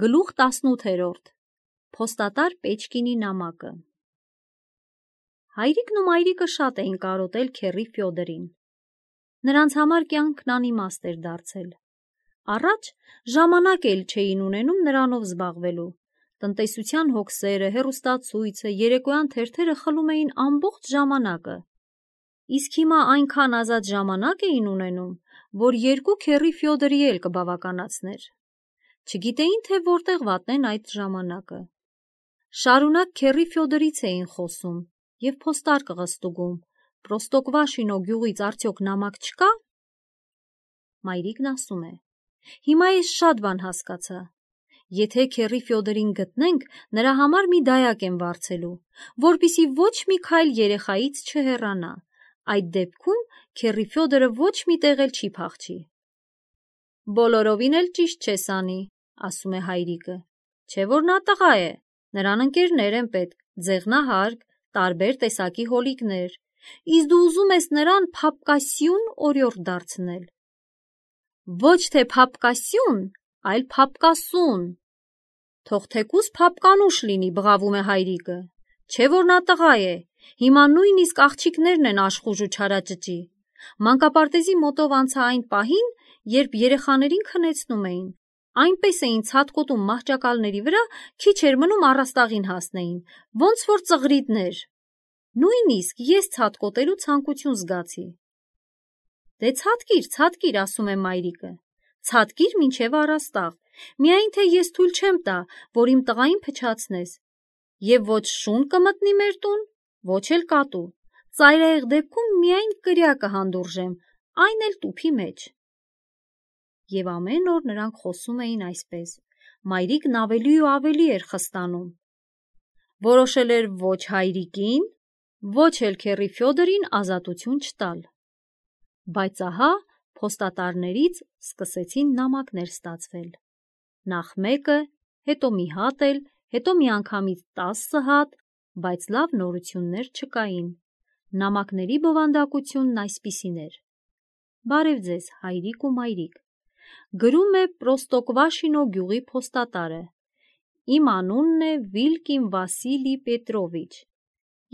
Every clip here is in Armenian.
Գլուխ 18 Փոստատար Պեչկինի նամակը Հայրիկն ու մայրիկը շատ էին կարոտել քեռի Ֆյոդորին։ Նրանց համար կյանքն անիմաստ էր դարձել։ Առաջ ժամանակ էլ չէին ունենում նրանով զբաղվելու։ Տնտեսության հոգսերը, հեռուստացույցը, երեկոյան թերթերը խլում էին ամբողջ ժամանակը։ Իսկ հիմա այնքան ազատ ժամանակ էին ունենում, որ երկու քեռի Ֆյոդորի էլ կբավականացներ։ Չգիտեին, թե որտեղ վատնեն այդ ժամանակը։ Շարունակ քեռի Ֆյոդորից էին խոսում և փոստար կղստուգում։ Պրոստոկվաշինո գյուղից արդյոք նամակ չկա։ Մայրիկն ասում է. Հիմա ես շատ բան հասկացա։ Եթե քեռի Ֆյոդորին գտնենք, նրա համար մի դայակ եմ վարձելու, որպեսզի ոչ մի քայլ երեխայից չհեռանա։ Այդ դեպքում քեռի Ֆյոդորը ոչ մի տեղ էլ չի փախչի։ Բոլորովին էլ ճիշտ չես անի, ասում է հայրիկը, չէ որ նա տղա է, նրան ընկերներ են պետք, ձեղնահարկ, տարբեր տեսակի հոլիկներ, իսկ դու ուզում ես նրան փափկասյուն օրիորդ դարձնել։ Ոչ թե փափկասյուն, այլ փափկասուն։ Թող թեկուզ փափկանուշ լինի, բղավում է հայրիկը, չէ որ նա տղա է, հիմա նույնիսկ աղջիկներն են աշխուժ ու չարաճճի։ Մանկապարտեզի մոտով անցա այն պահին, երբ երեխաներին քնեցնում էին, այնպես էին ցատկոտում մահճակալների վրա, քիչ էր մնում առաստաղին հասնեին, ոնց որ ծղրիդներ։ Նույնիսկ ես ցատկոտելու ցանկություն զգացի։ Դե ցատկիր, ասում է մայրիկը, ցատկիր մինչև առաստաղ, միայն թե ես թույլ չեմ տա, որ իմ տղային փչացնես, և ոչ շուն կմտնի մեր տուն, ոչ էլ կատու, ծայրահեղ դեպքում միայն կրյակը հանդուրժեմ, այն էլ տուփի մեջ։ Եվ ամեն օր նրանք խոսում էին այսպես, մայրիկն ավելի ու ավելի էր խստանում։ Որոշել էր ոչ հայրիկին, ոչ էլ քեռի Ֆյոդորին ազատություն չտալ։ Բայց ահա փոստատարներից սկսեցին նամակներ ստացվել։ Նախ մեկը, հետո մի հատ էլ, հետո միանգամից 10 հատ, բայց լավ նորություններ չկային։ Նամակների բովանդակությունն այսպիսին էր. Բարև ձեզ, հայրիկ ու մայրիկ։ Գրում է Պրոստոկվաշինո գյուղի փոստատարը։ Իմ անունն է Վիլկին Վասիլի Պետրովիչ։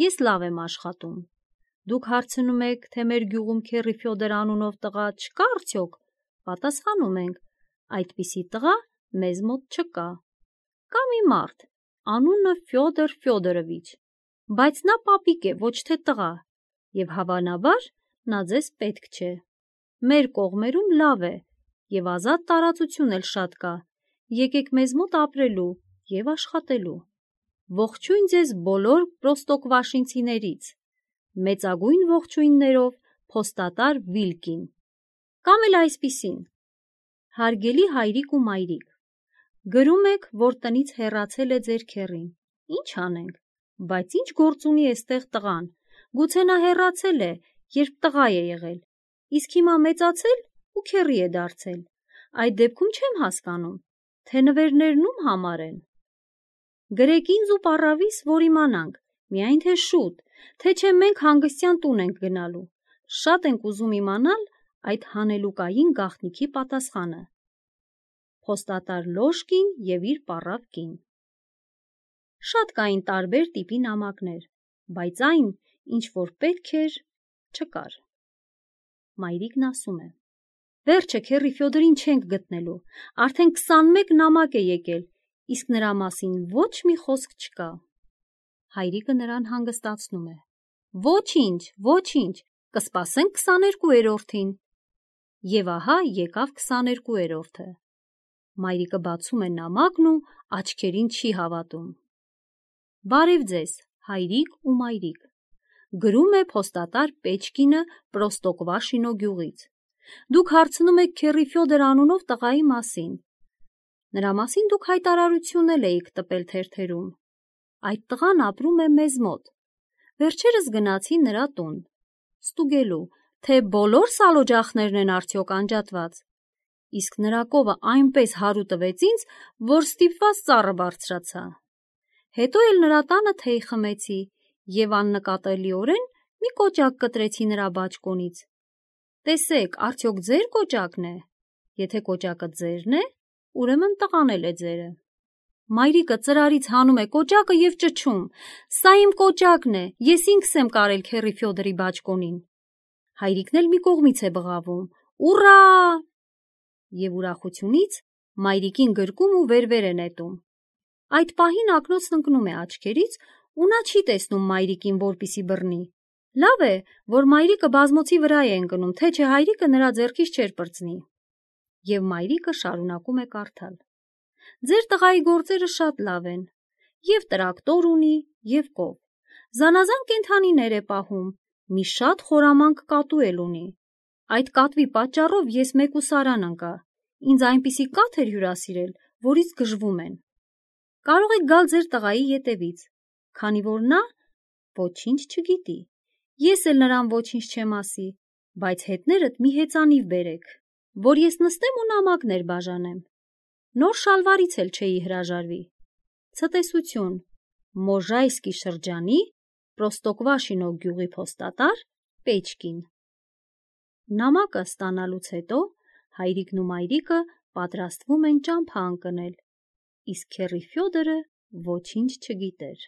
Ես լավ եմ աշխատում։ Դուք հարցնում եք, թե մեր գյուղում քեռի Ֆյոդոր անունով տղա չկա արդյոք։ Պատասխանում ենք, այդպիսի տղա մեզ մոտ չկա։ Կա մի մարդ, անունը Ֆյոդոր Ֆյոդորովիչ, բայց նա պապիկ է, ոչ թե տղա, և հավանաբար նա ձեզ պետք չէ։ Մեր կողմերում լավ է, և ազատ տարածություն էլ շատ կա, եկեք մեզ մոտ ապրելու և աշխատելու։ Ողջույն ձեզ բոլոր պրոստոկվաշինցիներից։ Մեծագույն ողջույններով փոստատար Վիլկին։ Կամ էլ այսպիսին. Հարգելի հայրիկ ու մայրիկ, գրում եք, որ տնից հեռացել է ձեր քեռին։ Ինչ անենք, բայց ինչ գործ ունի էստեղ տղան, գուցե նա հեռացել է, երբ տղա է եղել, իսկ հիմա մեծացել ու քեռի է դարձել։ Այդ դեպքում չեմ հասկանում, թե նվերներն ում համար են։ Գրեք ինձ ու պառավիս, որ իմանանք, միայն թե շուտ, թե չէ մենք հանգստյան տուն ենք գնալու։ Շատ ենք ուզում իմանալ այդ հանելուկային գաղտնիքի պատասխանը։ Փոստատար Լոշկին և իր պառավ կին։ Շատ կային տարբեր տիպի նամակներ, բայց այն, ինչ որ պետք էր, չկար։ Մայրիկն ասում է. Վերջը քեռի Ֆյոդորին չենք գտնելու, արդեն 21 նամակ է եկել, իսկ նրա մասին ոչ մի խոսք չկա։ Հայրիկը նրան հանգստացնում է. Ոչինչ, կսպասենք 22-րդին։ Եվ ահա եկավ 22-րդը։ Մայրիկը բացում է նամակն ու աչքերին չի հավատում։ Բարև ձեզ, հայրիկ ու մայրիկ։ Գրում է փոստատար Պեչկինը Պրոստոկվաշինո գյուղից։ Դուք հարցնում եք քեռի Ֆյոդոր անունով տղայի մասին։ Նրա մասին դուք հայտարարություն էիք տպել թերթերում։ Այդ տղան ապրում է մեզ մոտ։ Վերջերս գնացի նրա տուն, ստուգելու, թե բոլոր սալօջախներն են արդյոք անջատված։ Իսկ նրա կովը այնպես հարու տվեց ինձ, որ ստիպված ծառը բարձրացա։ Հետո էլ նրա տանը թեյ խմեցի և աննկատելիորեն մի կոճակ կտրեցի նրա բաճկոնից։ Տեսեք, արդյոք ձեր կոճակն է։ Եթե կոճակը ձերն է, ուրեմն տղան էլ է ձերը։ Մայրիկը ծրարից հանում է կոճակը և ճչում. «Սա իմ կոճակն է, ես ինքս եմ կարել քեռի Ֆյոդորի բաճկոնին»։ Հայրիկն էլ մի կողմից է բղավում. «Ուռա!» Եվ ուրախությունից մայրիկին գրկում ու վեր է նետում։ Այդ պահին ակնոցն ընկնում է աչքերից ու նա չի տեսնում մայրիկին, որպեսզի բռնի։ Լավ է, որ մայրիկը բազմոցի վրա է ընկնում, թե չէ հայրիկը նրա ձեռքից չէր պրծնի։ Եվ մայրիկը շարունակում է կարդալ. «Ձեր տղայի գործերը շատ լավ են, և տրակտոր ունի, և կով, զանազան կենդանիներ է պահում, մի շատ խորամանկ կատու էլ ունի։ Այդ կատվի պատճառով ես մեկուսարան ընկա, ինձ այնպիսի կաթ էր հյուրասիրել, որից գժվում են։ Կարող եք գալ ձեր տղայի ետևից, քանի որ նա ոչինչ չգիտի, ես էլ նրան ոչինչ չեմ ասի, բայց հետներդ մի հեծանիվ բերեք, որ ես նստեմ ու նամակներ բաժանեմ։ Նոր շալվարից էլ չէի հրաժարվի։ Ցտեսություն, Մոժայսկի շրջանի Պրոստոկվաշինո գյուղի փոստատար Պեչկին»։ Նամակը ստանալուց հետո հայրիկն ու մայրիկը պատրաստվում են ճամփա ընկնել, իսկ քեռի Ֆյոդորը ոչինչ չգիտեր։